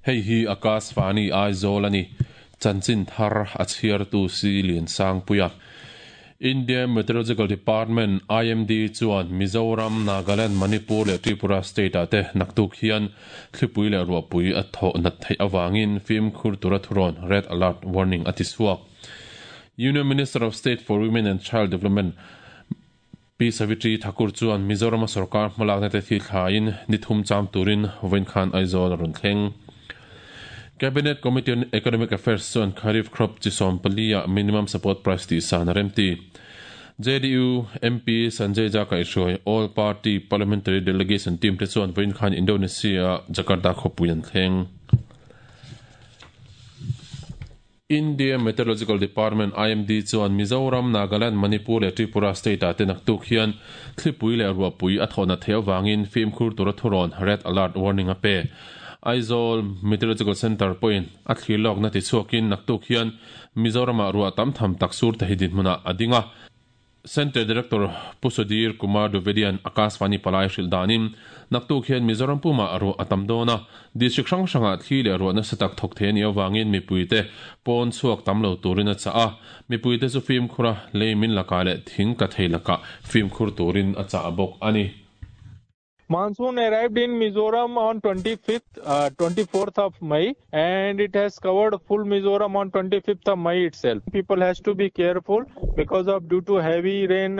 Hei hi Akashvani Aizawl a ni. Chanchin thar a chhiartu si Liansangpuia. India Meteorological Department, IMD, chuan Mizoram, Nagaland, Manipur leh Tripura state-ah te naktuk hian thlipui leh ruahpui a thawh nat theih avangin fimkhur tura thurawn, red alert warning, a ti chhuak. Union Minister of State for Women and Child Development, Pi Savitri Thakur chuan Mizorama sorkar hmalakna te thi thlaiin ni thum cham turin vawiin khan Aizawl a rawn thleng. Cabinet Committee on Economic Affairs chuan Kharif crop chi 14 ah minimum support price tih san a remti. JDU MP Sanjay Jha kaihhruai All Party Parliamentary Delegation team te chuan vawiin khan Indonesia Jakarta khawpui an thleng. India Meteorological Department, IMD, chuan Mizoram, Nagaland, Manipur leh Tripura state-ah te naktuk hian thlipui leh ruahpui a thawhna theih avangin fimkhur tura thurawn, red alert warning, a pe. Aizawl Meteorological Centre pawhin a thlir lawkna tichhuakin naktuk hian Mizoramah ruah tam tham tak sur thei dinhmunah a ding a. Centre Director Pu Sudhir Kumar Dwivedian Akashvani palai hrilh danin, naktuk hian Mizoram pumah ruah a tam dawn a, district hrang hrangah thli leh ruah nasa tak thawk thei a nih avangin mipuite pawn chhuak tam lo turin a chah a, mipuite chu fimkhur a, lei min lakah leh thing tla thei lakah fimkhur turin a chah bawk a ni. Monsoon arrived in Mizoram on 25th, 24th of May and it has covered full Mizoram on 25th of May itself. People has to be careful because of due to heavy rain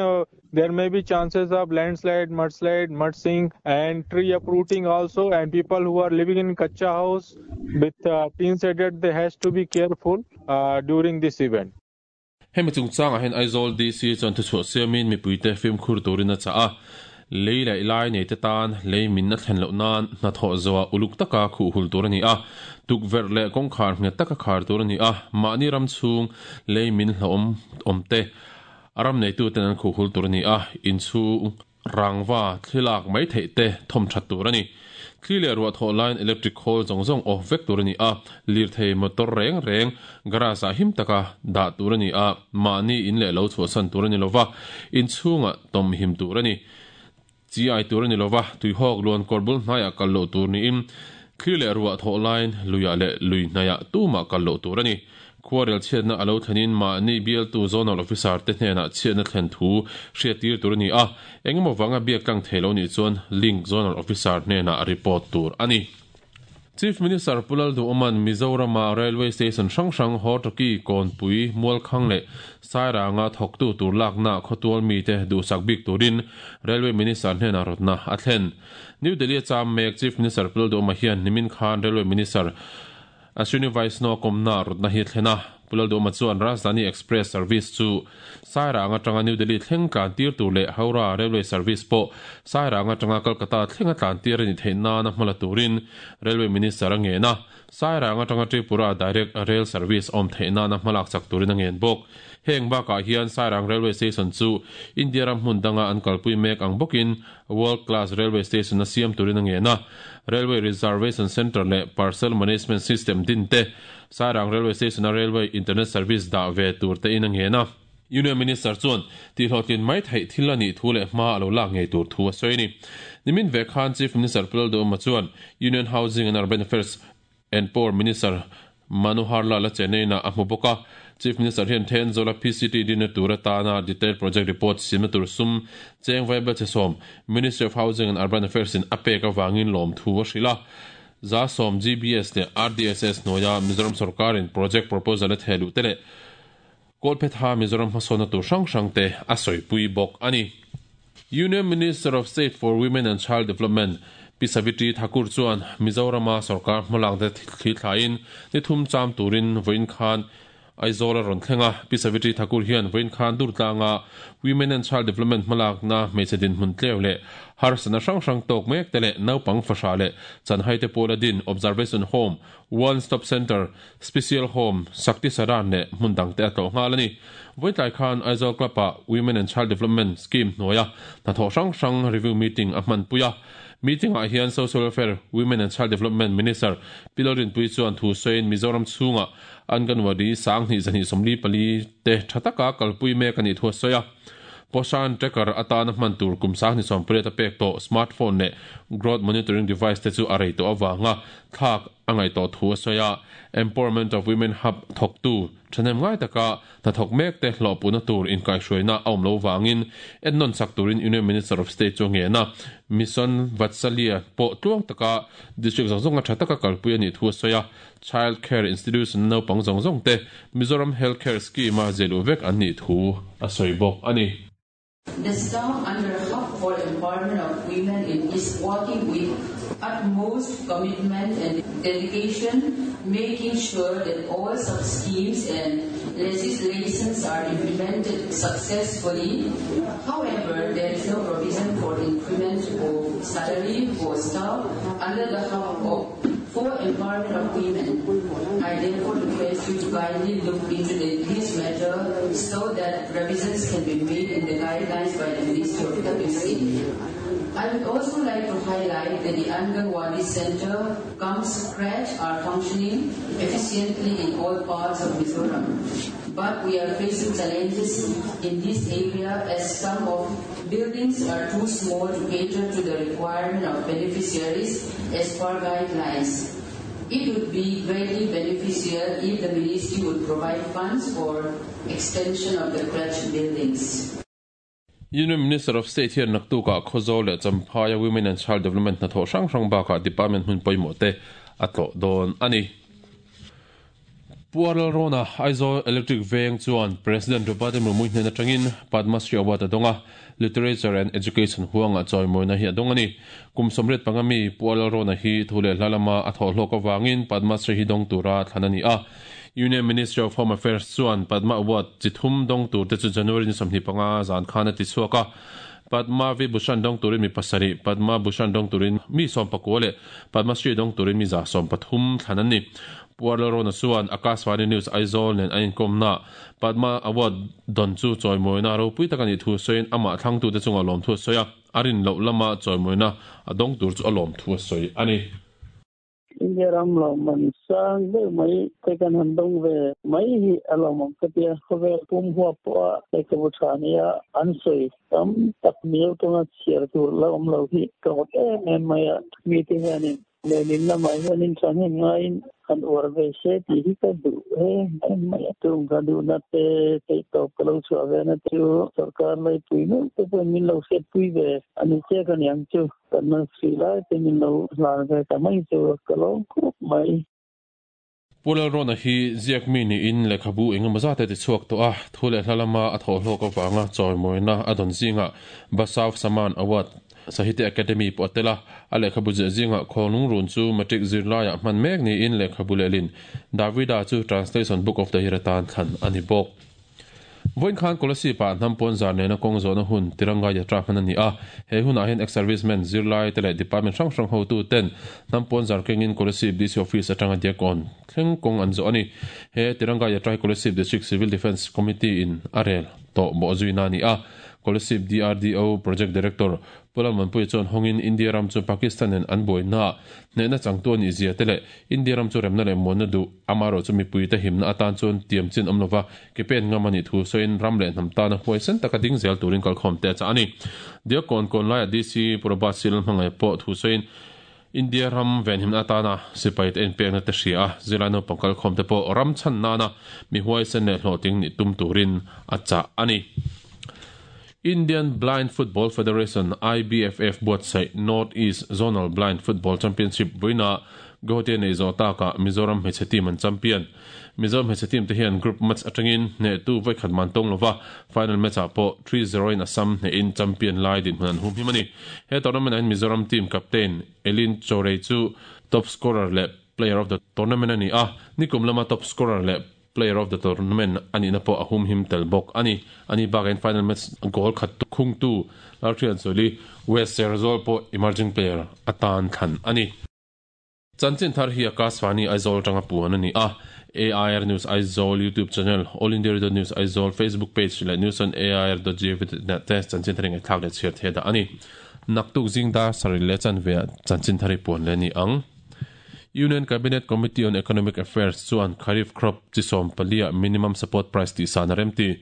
there may be chances of landslide, mudslide, mud sink and tree uprooting also, and people who are living in kacha house with tin shaded, they has to be careful during this event. Hemi chungchangah hian Aizawl DC chuan thuchhuah siamin mipuite fimkhur turin a chah a, lei leh lai neite tan lei min a thlen loh nan hnathawh zawhah uluk taka khuh hul tur a ni a, tukverh leh kawngkhar nghet taka khar tur a ni a, mahni ram chhung lei min hlauhawm awmte a ram neituten an khuh hul tur a ni a, inchhung Rangva thli lak mai theih te thawm that tur a ni. Thli leh ruah thawh laiin electric khawl zawng zawng off vek tur a ni a, lirthei motor reng reng garage ah him taka dah tur a ni a, mahni in leh lo chhuahsan tur a ni lova, inchhungah tawm him tur a ni. Chi ai tur a ni lova, tuihawk luan kawr bul hnaiah kal loh tur niin thli leh ruah thawh laiin luiah leh lui hnaiah tumah kal loh tur a ni. Khuarel chhiatna a lo thlenin mahni bialtu Zonal Officer te hnenah chhiatna thlen thu hriattir tur a ni a, engemaw vanga biak tlang thei lo nih chuan Link Zonal Officer hnenah report tur a ni. Chief Minister Pu Lalduhawma'n Mizorama Railway Station hrang hrang Hortoki, Kawnpui, Mualkhang leh Sairanga thawktu tur lakna khawtual mite duhsak bik turin Railway Minister hnenah rawtna a thlen. New Delhi-a cham mek Chief Minister Pu Lalduhawma hian nimin khan Railway Minister Ashwini Vaishnaw kawmna rawtna hi a thlen a, Pu Lalduhawma chuan Rajdhani Express service chu Sairang atanga New Delhi thleng tlan tir tur leh Howrah Railway service pawh Sairang atanga Kolkata thlenga tlan tir a nih theih nana hma la turin Railway Minister a ngen a, Sairang atanga Tripura direct rail service awm theih nana hma lak chak turin a ngen bawk. Heng bakah hian Sairang Railway Station chu India ram hmun danga an kalpui mek ang bawkin World Class Railway Station a siam turin a ngen a, Railway Reservation Centre leh Parcel Management System din te, Sairang Railway Station-a Railway Internet Service dah ve tur tein a ngen a. Union Minister chuan tihhlawhtlin mai theih thil a nih thu leh hma a lo lak ngei tur thu a sawi a ni. Nimin ve khan Chief Minister Pu Lalduhoma chuan Union Housing and Urban Affairs and Power Minister Manohar Lal a Chennai-ah a hmu bawk a. Chief Minister hian Thenzawl-a PCT dinna tur atana detailed project report siamna tur sum cheng vaibel che sawm Ministry of Housing and Urban Affairs-in a pek avangin lawmthu a hrilh a. 110 GBS leh RDSS hnuaia Mizoram sorkarin project proposal a theh luh te leh Kawlphetha Mizoram hmasawnna tur hrang hrang te a sawipui bawk a ni. Union Minister of State for Women and Child Development Pi Savitri Thakur chuan Mizorama sorkar hmalakna thli thlaiin ni thum cham turin vawiin khan Aizawl a rawn thleng a. Pi Savitri Thakur hian vawiin khan Durtlanga Women and Child Development hmalakna hmeichhe dinhmun tleu leh harsatna hrang hrang tawk mek te leh naupang fahrah leh chanhaite pawla din Observation Home, One Stop Centre, Special Home, Shakti Saran leh hmun dangte a tlawh nghal a ni. Vawitlai khan Aizawl Club-ah Women and Child Development Scheme hnuaia hnathawh hrang hrang review meeting a hmanpui a. Meeting-ah hian Social Welfare, Women and Child Development Minister Pi Lalrinpuii chuan thu sawiin Mizoram chhunga Anganwadi 2224 te tha taka kalpui mek a nih thu a sawi a. Poshan Tracker atana hman tur kum 28 a pek tawh smartphone leh growth monitoring device te chu a rei tawh avanga thlak a ngaih tawh thu a sawi a. Empowerment of Women Hub thawktu thahnem ngai taka hnathawk mek te hlawhpuhna tur inkaihhruaina a awm lo vangin ennawn chak turin Union Minister of State chu a ngen a. Mission Vatsalya pawh tluang taka district zawng zawnga tha taka kalpui a nih thu a sawi a. Child Care Institution naupang zawng zawng te Mizoram Health Care Scheme-a ziahluh vek an nih thu a sawi bawk a ni. The staff under Hub for Empowerment of Women in is working with utmost commitment and dedication, making sure that all sub-schemes and legislations are implemented successfully. However, there is no provision for increment of salary for staff under the Hub of for Empowerment of Women. I therefore request you to kindly look into the, this matter so that revisions can be made in the guidelines by the Ministry of WC. I would also like to highlight that the Anganwadi Center comes scratch are functioning efficiently in all parts of Mizoram. But we are facing challenges in this area as some of buildings are too small to cater to the requirement of beneficiaries as per guidelines. It would be greatly beneficial if the ministry would provide funds for extension of the crutch buildings. Union Minister of State hian naktukah Khawzawl leh Champhaia Women and Child Development hnathawh hrang hrang bakah department hmun pawimawh te a tlawh dawn a ni. Pu Arlalrawna, Aizawl Electric Veng chuan President Draupadi Murmu hnen atangin Padma Shri Award a dawng a, Literature and Education huangah chawimawina hi a dawng a ni. Kum 85 mi Pu Arlalrawna hi thu leh hla lama a thawh hlawk avangin Padma Shri hi dawng tura thlan a ni a. Union Ministry of Home Affairs chuan Padma Award chi thum dawng turte chu January ni 25 zan khan a ti chhuak a. Padma Vibhushan dawng turin mi pasarih, Padma Bhushan dawng turin mi 19 leh Padma Shri dawng turin mi 130 thlan an ni. Pu Arlalrawna chuan Akashvani News Aizawl nen a inkawmnaah Padma Award dawn chu chawimawina ropui tak a nih thu sawiin amah thlangtute chungah lawmthu a sawi a, a rin loh lama chawimawina a dawng tur chu a lawmthu a sawi a ni. India ram lawmman sang deuh mai te kan han dawng ve mai hi a lawmawm ka tia. Khawvel pum huap pawha lehkhabu tha nia an sawi tam tak miau tawnga chhiar tur la awm lo hi ka ngawt em em mai a. Mite hianin lehlin lamah hianin thahnem ngaiin han uar ve se tih hi ka duh em em mai a. Tung ka duhna te theihtawp ka lo chhuah ve na chu sorkar laipui meuh te pawhin min lo hriatpui ve a ni chiak a niang chu. Kan man sui lai te min lo hlan ve ta mai chu ka lawm khawp mai. Pu Lalrawna hi ziak mi niin lehkhabu engemaw zat a ti chhuak tawh a, thu leh hla lama a thawh hlawk avanga chawimawina a dawn zingah Basav Saman Award Sahitya Academy pawh a tel a, a lehkhabu ziah zingah Khawnglung Run chu Matric zirlaiah hman mek niin lehkhabu lehlin Davida chu Translation Book of the Year atan thlan a ni bawk. Vawiin khan Kolasib-ah hnam pawn zar nena kawng zawhna hun Tiranga Yatra hman a ni a. He hunah hian ex-servicemen, zirlai te leh department hrang hrang hotu ten hnam pawn zar kengin Kolasib DC Office atanga Diakkawn thleng kawng an zawh a ni. He Tiranga Yatra hi Kolasib District Civil Defence Committee in a rel tawh bawh zuina a ni a. Kolasib DRDO Project Director Pu Lalmanpuia chuan hawngin India ram chu Pakistan nen an buaina hnehna changtu a nih zia te leh India ram chu remna leh muanna duh amaherawhchu mipuite himna atan chuan tiam chin awm lova ke pen ngam a nih thu sawiin ram leh hnam tana huaisen taka ding zel turin kalkhawm te a chah a ni. Diakkawn kawn laiah DC Purabas Silal hmangaih pawh thu sawiin India ram venhimna atana sipaite inpekna te hria a, zirlai naupang kalkhawm te pawh ram chhan nana mi huaisen leh hlawhtling nih tum turin a chah a ni. Indian Blind Football Federation, IBFF, buatsaih North East Zonal Blind Football Championship vawiinah Guwahati a neih zawh takah Mizoram hmeichhe team an champion. Mizoram hmeichhe team te hian group match atangin hnehtu vawikhat man tawng lova, final match ah pawh 3-0 in Assam hnehin champion lai dinhmun an humhim a ni. He tournament ah hian Mizoram team captain Elin Chorei chu top scorer leh player of the tournament a ni a, nikum lama top scorer leh player of the tournament a nihna pawh a humhim tel bawk a ni. Ani bakah hian final match goal khat khungtu Lalhrianzuali West Serzawl pawh emerging player atan thlan a ni. Chanchin thar hi Akashvani Aizawl atanga puan a ni a, AIR News Aizawl YouTube channel, All India Radio News Aizawl Facebook page leh News on AIR dot gov dot in ah te chanchin thar hi ngaihthlak leh chhiar thei dah a ni. Naktuk zing dar sarih leh chanve ah chanchin thar hi puan leh a ni ang. Union Cabinet Committee on Economic Affairs chuan Kharif crop chi 14 ah minimum support price tihsan a remti.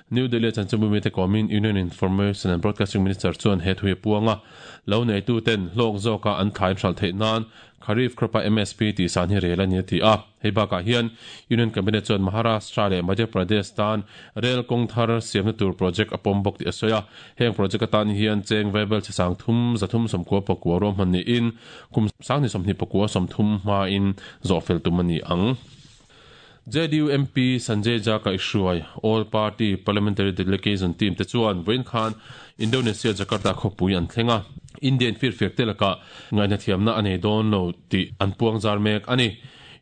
New Delhi chanchinbu mite kawmin Union Information and Broadcasting Minister chuan he thu hi a puang a, lo neitu ten hlawk zawka an thlai hralh theih nan Kharif crop-a MSP tih san hi rel a ni a ti a. Hei bakah hian Union Cabinet chuan Maharashtra leh Madhya Pradesh tan rel kawng thar siamna tur project a pawm bawk tih a sawi a. Heng project atan hian cheng vaibel chhe sang thum 390 pakua ruahman niin kum 2021 30 hmain zawhfel tum a ni ang. JDU MP Sanjay Jha kaihhruai All Party Parliamentary Delegation team te chuan vawiin khan Indonesia Jakarta khawpui an thleng a, Indian firfiak te lakah ngaihnathiamna a nei dawn lo tih an puang zar mek a ni.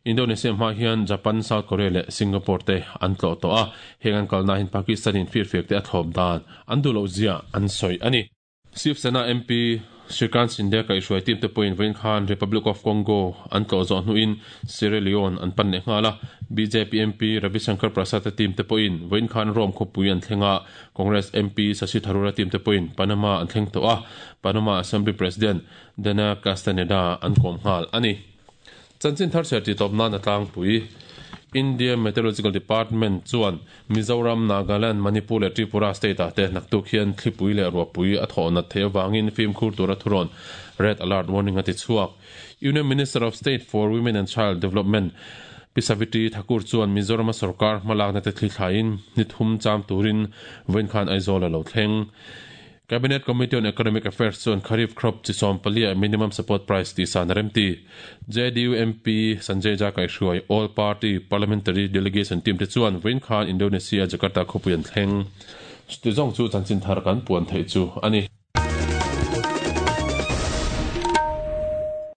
Indonesia hma hian Japan, South Korea leh Singapore te an tlawh tawh a, heng an kalna hin Pakistan in firfiak te a thlawp dan an duh loh zia an sawi a ni. Shiv Sena MP Shrikant Shinde kaihhruai team te pawhin vawiin khan Republic of Congo an tlawh zawh hnuin Sierra Leone an pan leh nghal a. Bjp MP Ravi Shankar Prasad te team te pawhin vawiin khan Rome khawpui an thleng a, Congress MP Shashi Tharoor-a team te pawhin Panama an thleng tawh a, Panama Assembly President Dana Castaneda an kawm nghal a ni. Chanchin thar chhiar tih tawp nan a tlangpui. India Meteorological Department chuan Mizoram, Nagaland, Manipur leh Tripura state ah te naktuk hian thlipui leh ruahpui a thawh nat theih avangin fimkhur tura thurawn Red Alert Warning a ti chhuak. Union Minister of State for Women and Child Development Pi Savitri Thakur chuan Mizorama sorkar hmalakna te thli thlaiin ni thum cham turin vawiin khan Aizawl a lo thleng. Cabinet Committee on Economic Affairs chuan Kharif crop chi 14 ah minimum support price tih san a remti. JDU MP Sanjay Jha kaihhruai All Party Parliamentary Delegation team te chuan vawiin khan Indonesia Jakarta khawpui an thleng. Chuti zawng chu chanchin thar kan puan theih chu a ni.